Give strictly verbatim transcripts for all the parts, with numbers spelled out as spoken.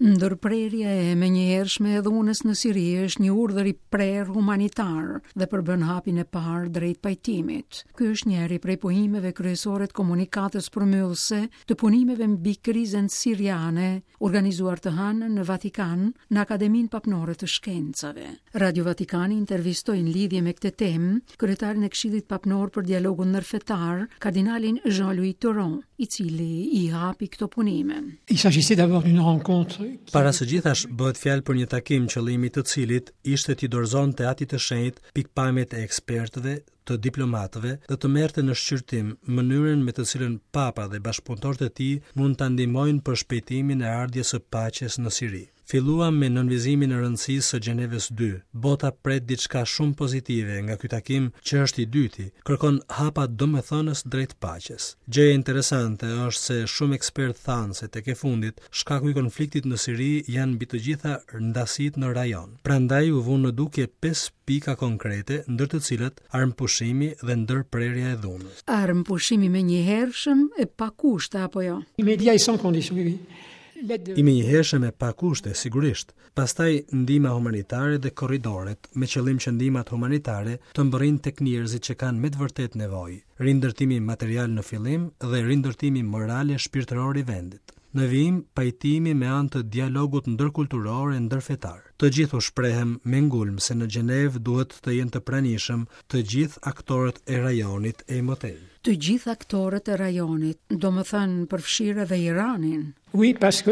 Ndërprerja e menjëhershme e dhunës në Siri është një urdhër i prerë humanitar dhe përbën hapin e parë drejt pajtimit. Ky është njëri prej pohimeve kryesore të komunikatës përmbyllëse të punimeve mbi krizën siriane, organizuar të hënën në Vatikan, në Akademinë Papnore të Shkencave. Radio Vatikani intervistoi në lidhje me këtë temë kryetarin e Këshillit Papnor për Dialogun Ndërfetar, kardinalin Jean-Louis Tauran, i cili i hapi këto punime. Il s'agissait d'abord d'une rencontre Para së gjithash bëhet fjalë për një takim qëllimi të cilit ishte t'i dorëzonte Atit të Shenjtë pikpamjet e ekspertëve, të diplomatëve dhe të merrte në shqyrtim mënyrën me të cilën Papa dhe bashkëpunëtorët e tij mund ta ndihmojnë për shpejtimin e ardhjes së paqes në Siri. Filluam me nënvizimin e rëndësisë së Gjenevës dy. Bota pret diçka shumë pozitive nga ky takim që është i dyti, kërkon hapa domethënës drejt paqes. Gjëja interesante është se shumë ekspertë thanë se tek e fundit shkaku i konfliktit në Siri janë mbi të gjitha ndasitë në rajon. Prandaj u vunë në dukje pesë pika konkrete, ndër të cilat armëpushimi dhe ndërprerja e dhunës. Armëpushimi menjëhershëm e pa kushte apo jo? Immédiat et sans condition, oui, oui. L'aide I menjëhershëm e pa kushte, sigurisht. Pastaj ndihma humanitare dhe korridoret, me qëllim që ndihmat humanitare të mbërrijnë tek njerëzit që kanë me të vërtetë nevojë. Rindërtimi material në fillim dhe rindërtimi moral e shpirtëror i vendit. Në vijim, pajtimi me anë të dialogut ndërkulturor e ndërfetar. Të gjithë u shprehem me ngulm se në Gjenevë duhet të jenë të pranishëm të gjithë aktorët e rajonit e më tej. Të gjithë aktorët e rajonit, do më thënë përfshirë edhe Iranin. Oui, parce que,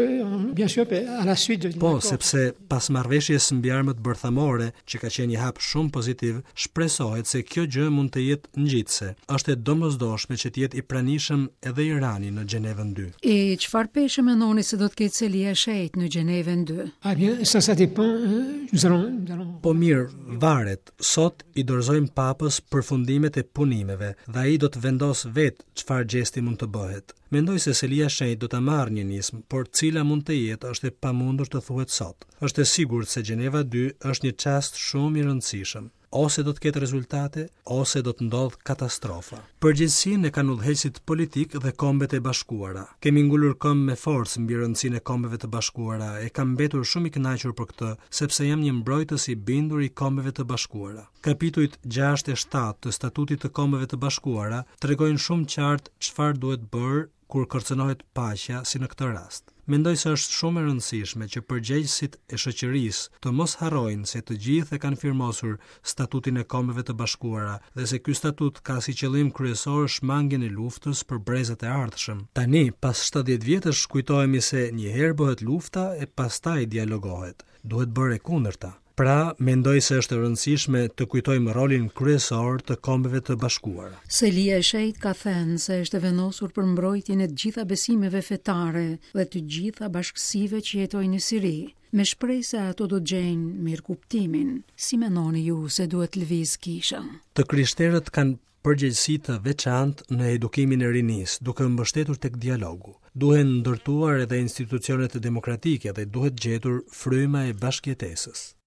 bien sûr, à la suite de Po, sepse pas marrëveshjes mbi armët bërthamore, që ka qenë një hap shumë pozitiv, shpresohet se kjo gjë mund të jetë ngjitëse. Është e domosdoshme që të jetë i pranishëm edhe Irani në Gjenevën dy. E çfarë peshe mendoni se do të ketë Selia e Shenjtë në Gjenevën dy? Ah bien, ça, ça dépend. euh, Nous allons, nous allons... Po mirë, varet. Sot i dorëzojmë papës përfundimet e punimeve dhe ai do të vendos vetë çfarë gjesti mund të bëhet. Mendoj se Selia e Shenjtë do ta marrë një nismë, por cila mund të jetë është e pamundur të thuhet sot. Është e sigurt se Gjeneva dy është një çast shumë i rëndësishëm. Ose do të ketë rezultate, ose do të ndodhë katastrofa. Përgjegjësinë e kanë udhëheqësit politik dhe Kombet e Bashkuara. Kemi ngulur këmbë me forcë mbi rëndësinë e Kombeve të Bashkuara e kam mbetur shumë i kënaqur për këtë, sepse jam një mbrojtës i bindur i Kombeve të Bashkuara. Kapitujt gjashtë e shtatë të Statutit të Kombeve të Bashkuara tregojnë shumë qartë çfarë duhet bërë kur kërcënohet paqja si në këtë rast. Mendoj se është shumë e rëndësishme që përgjegjësit e shoqërisë të mos harrojnë se të gjithë e kanë firmosur Statutin e Kombeve të Bashkuara dhe se ky statut ka si qëllim kryesor shmangien e luftës për brezat e ardhshëm. Tani, pas shtatëdhjetë vjetësh, kujtohemi se një herë bëhet lufta e pastaj dialogohet. Duhet bërë e kundërta. Pra, mendoj se është e rëndësishme të kujtojmë rolin kryesor të Kombeve të Bashkuara. Selia e Shenjtë ka thënë se është e vendosur për mbrojtjen e të gjitha besimeve fetare dhe të gjitha bashkësive që jetojnë në Siri, me shpresë se ato do të gjejnë mirëkuptimin. Si mendoni ju se duhet lëviz kisha? Të krishterët kanë përgjegjësi të veçantë në edukimin e rinisë, duke mbështetur tek dialogu. Duhen ndërtuar edhe institucionet demokratike dhe duhet gjetur fryma e bashkëjetesës.